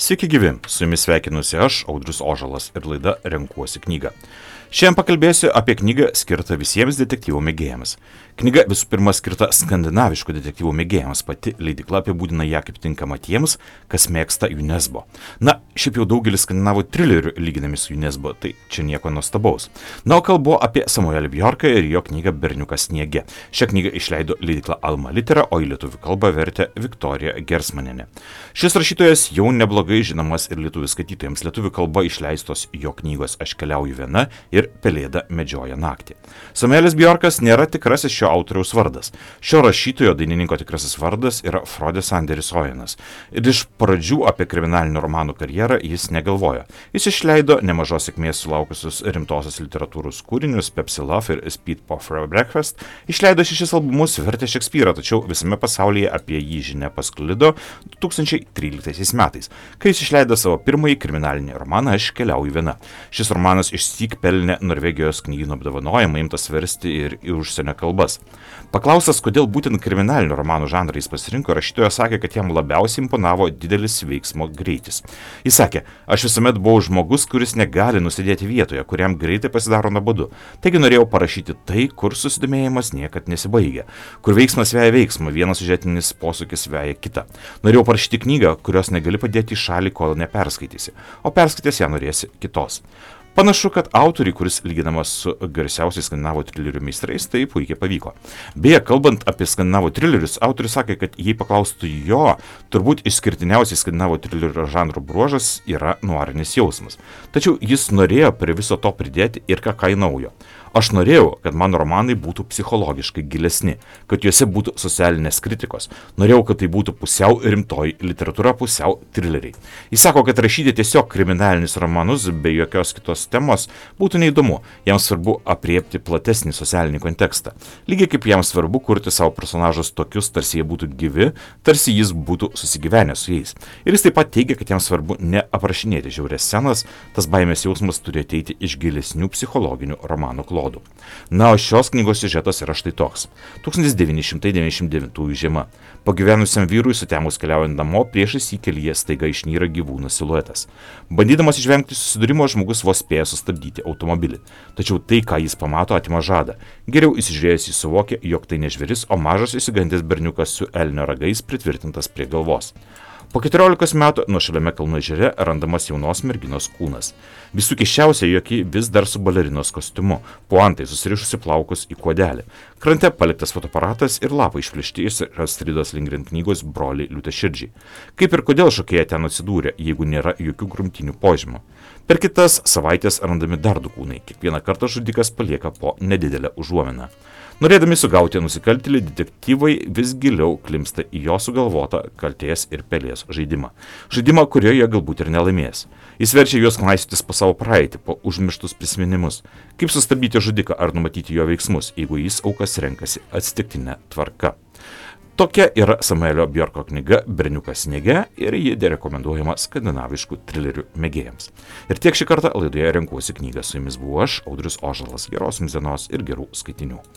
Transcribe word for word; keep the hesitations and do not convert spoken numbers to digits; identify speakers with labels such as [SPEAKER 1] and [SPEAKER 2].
[SPEAKER 1] Sveiki gyvi, su jumis sveikinusi aš, Audrius Ožalas, ir laida Renkuosi knygą. Šiandien pakalbėsiu apie knygą skirtą visiems detektyvų mėgėjams. Knyga visų pirma skirta skandinaviškų detektyvų mėgėjams, pati leidykla apibūdina ją kaip tinkama tiems, kas mėgsta UNESCO. Na, šiaip jau daugelis skandinavų trilerių lyginami su UNESCO, tai čia nieko nuostabaus. Na, o kalbu apie Samuelį Bjorką ir jo knygą Berniukas sniege. Šią knygą išleido leidykla Alma Litera, o į lietuvių kalbą vertė Viktorija Gersmanienė. Šis rašytojas jau neblogai žinomas ir lietuvių skaitytojams. Lietuvių kalba išleistos jo knygos Aš keliauju viena ir Pelėda medžioja naktį. Samuelis Bjorkas nėra tikrasis šio autoriaus vardas. Šio rašytojo dainininko tikrasis vardas yra Frodis Anderis Ojenas. Ir iš pradžių apie kriminalinio romanų karjerą jis negalvojo. Jis išleido nemažos sėkmės sulaukusius rimtosios literatūros kūrinius Pepsi Love ir Speed for Breakfast. Išleido šešis albumus, vertė Šekspyrą, tačiau visame pasaulyje apie jį žinia pasklido du tūkstančiai tryliktaisiais metais, kai jis išleido savo pirmąjį kriminalinį romaną Aš keliauju viena. Šis romanas išsyk pelnė Norvegijos knygynų apdovanojimą, imtas versti ir į užsienio kalbas. Paklaustas, kodėl būtent kriminalinių romanų žanrą jis pasirinko, rašytojas sakė, kad jam labiausiai imponavo didelis veiksmo greitis. Jis sakė, aš visuomet buvau žmogus, kuris negali nusidėti vietoje, kuriam greitai pasidaro nuobodu. Taigi norėjau parašyti tai, kur susidomėjimas niekad nesibaigia, kur veiksmas veja veiksmą, vienas siužetinis posūkis veja kitą. Norėjau parašyti knygą, kurios negali padėti į šalį, kol neperskaitysi, o perskaitęs ją norėsi kitos. Panašu, kad autoriai, kuris lyginamas su garsiausiais skandinavų trilerių meistrais, tai puikiai pavyko. Beje, kalbant apie skandinavų trilerius, autorius sakė, kad jei paklaustų jo, turbūt išskirtiniausiai skandinavų trilerio žanro bruožas yra nuarinis jausmas. Tačiau jis norėjo prie viso to pridėti ir ką ką naujo. Aš norėjau, kad mano romanai būtų psichologiškai gilesni, kad juose būtų socialinės kritikos. Norėjau, kad tai būtų pusiau rimtoji literatūra, pusiau trileriai. Jis sako, kad rašyti tiesiog kriminalinius romanus be jokios kitos temos būtų neįdomu. Jam svarbu apriepti platesnį socialinį kontekstą. Lygiai kaip jam svarbu kurti savo personažus tokius, tarsi jie būtų gyvi, tarsi jis būtų susigyvenęs su jais. Ir jis taip pat teigia, kad jam svarbu neaprašinėti žiaurias scenas, tas baimės jausmas turi ateiti iš gilesnių psichologinių romanų klodų. Na, o šios knygos siužetas yra štai toks. tūkstantis devyni šimtai devyniasdešimt devintųjų žiema. Pagyvenusiam vyrui sutemus keliaujant namo, priešais jį kelyje staiga išnyra gyvūno siluetas. Bandydamas išvengti susidūrimo, žmogus vos spėja sustabdyti automobilį. Tačiau tai, ką jis pamato, atima žadą. Geriau įsižiūrėjęs jis suvokė, jog tai ne žvėris, o mažas išsigandęs berniukas su elnio ragais pritvirtintas prie galvos. Po keturiolikos metų nuošaliame kalnų ežere randamas jaunos merginos kūnas. Visų keisčiausia, jog ji vis dar su balerinos kostiumu, puantai susirišusi plaukus į kuodelį. Krante paliktas fotoaparatas ir lapai išplėšti iš Astridos Lindgren knygos Broliai liūtaširdžiai. Kaip ir kodėl šokėja ten atsidūrė, jeigu nėra jokių grumtinių požymų. Per kitas savaitės randami dar du kūnai. Kiekvieną kartą žudikas palieka po nedidelę užuominą. Norėdami sugauti nusikaltėlį, detektyvai vis giliau klimpsta į jo sugalvotą kaltės ir pelės žaidimą. Žaidimą, kurioje jie galbūt ir nelaimės. Jis verčia juos knaisiotis po savo praeitį, po užmirštus prisiminimus. Kaip sustabdyti žudiką ar numatyti jo veiksmus, jeigu jis aukas renkasi atsitiktinę tvarką. Tokia yra Samuelio Bjorko knyga Berniukas sniege ir ji rekomenduojama skandinaviškų trilerių mėgėjams. Ir tiek šį kartą laidoje Renkuosi knygą. Su jumis buvau aš, Audrius Ožalas. Geros jums dienos ir gerų skaitinių.